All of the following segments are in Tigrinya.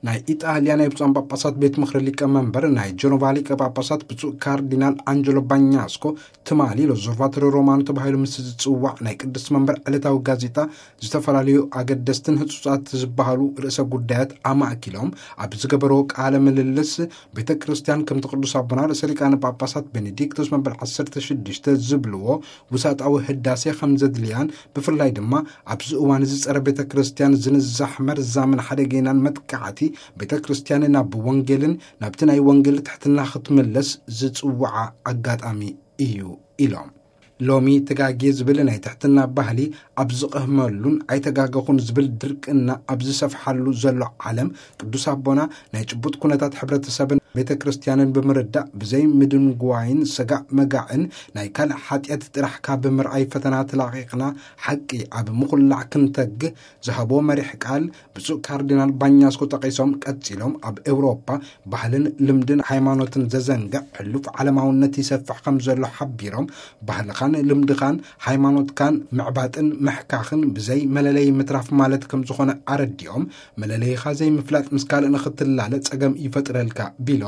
ናይ ኢጣልያ ናይ ብፁዓን ጳጳሳት ቤት ምኽሪ ሊቀ መንበር ናይ ጀኖቫ ሊቀ ጳጳሳት ብፁዕ ካርዲናል ኣንጀሎ ባኛስኮ ትማሊ ሎዞርቫቶሪ ሮማኖ ተባሂሉ ምስ ዝጽዋዕ ናይ ቅድስት መንበር ዕለታዊ ጋዜጣ ዝተፈላለዩ ኣገደስትን ህጹጻት ዝበሃሉ ርእሰ ጉዳያት ኣማእኪሎም ኣብ ዝገበርዎ ቃለ ምልልስ፣ ቤተ ክርስቲያን ከምቲ ቅዱስ ኣቦና ርእሰ ሊቃነ ጳጳሳት ቤኔዲክቶስ መበል ዓሰርተ ሽዱሽተ ዝብልዎ ውሳጣዊ ህዳሴ ከም ዘድልያን፣ ብፍላይ ድማ ኣብዚ እዋን እዚ ጸረ ቤተ ክርስቲያን ዝንዛሕ መርዛምን ሓደገይናን መጥቃዕቲ ቤተ ክርስቲያን ናብ ወንጌልን ናብቲ ናይ ወንጌል ትሕትና ክትምለስ ዝጽውዓ ኣጋጣሚ እዩ ኢሎም። ሎሚ ተጋጌ ዝብል ናይ ትሕትና ባህሊ ኣብ ዝቐህመሉን ኣይተጋገኹን ዝብል ድርቅና ኣብ ዝሰፍሓሉ ዘሎ ዓለም፣ ቅዱስ ኣቦና ናይ ጭቡጥ ኩነታት ሕብረተሰብን ቤተ ክርስቲያንን ብምርዳእ፣ ብዘይ ምድንጓይን ሰጋእ መጋእን ናይ ካልእ ሓጢኣት ጥራሕ ካብ ምርኣይ ፈተና ተላቒቕና ሓቂ ኣብ ምኹላዕ ክንተግህ ዝሃብዎ መሪሕ ቃል ብፁዕ ካርዲናል ባኛስኮ ጠቒሶም፣ ቀጺሎም ኣብ ኤውሮፓ ባህልን ልምድን ሃይማኖትን ዘዘንግዕ ሕሉፍ ዓለማውነት ይሰፍሕ ከም ዘሎ ሓቢሮም፣ ባህልኻን ልምድኻን ሃይማኖትካን ምዕባጥን ምሕካኽን ብዘይ መለለይ ምትራፍ ማለት ከም ዝኾነ ኣረዲኦም፣ መለለይኻ ዘይምፍላጥ ምስ ካልእ ንኽትላለ ጸገም ይፈጥረልካ ቢሎም፣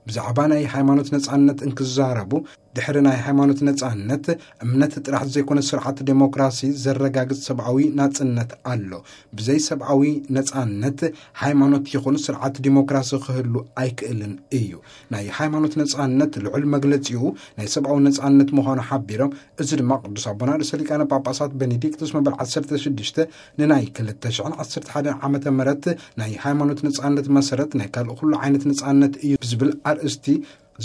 ብዛዕባ ናይ ሃይማኖት ነጻነት እንክዛረቡ፣ ድሕሪ ናይ ሃይማኖት ነጻነት እምነት ጥራሕ ዘይኮነ ስርዓት ዴሞክራሲ ዘረጋግጽ ሰብኣዊ ናጽነት ኣሎ። ብዘይ ሰብኣዊ ነጻነት ሃይማኖት ይኹን ስርዓት ዴሞክራሲ ክህሉ ኣይክእልን እዩ። ናይ ሃይማኖት ነጻነት ልዑል መግለጺኡ ናይ ሰብኣዊ ነጻነት ምዃኑ ሓቢሮም፣ እዚ ድማ ቅዱስ ኣቦና ርእሰ ሊቃነ ጳጳሳት ቤኔዲክቶስ መበል ዓሰርተ ሽዱሽተ ንናይ ክልተ ሽሕን ዓሰርተ ሓደን ዓመተ ምህረት ናይ ሃይማኖት ነጻነት መሰረት ናይ ካልእ ኩሉ ዓይነት ነጻነት እዩ ብዝብል ኣርእስቲ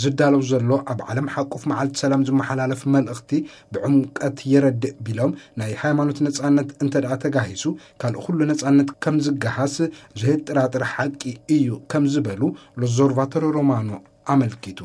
ዝዳለው ዘሎ ኣብ ዓለም ሓቁፍ መዓልቲ ሰላም ዝመሓላለፍ መልእኽቲ ብዕምቀት የረድእ ቢሎም፣ ናይ ሃይማኖት ነጻነት እንተ ደኣ ተጋሂሱ ካልእ ኩሉ ነጻነት ከም ዝገሃስ ዘየጠራጥር ሓቂ እዩ ከም ዝበሉ ሎዞርቫቶሪ ሮማኖ ኣመልኪቱ።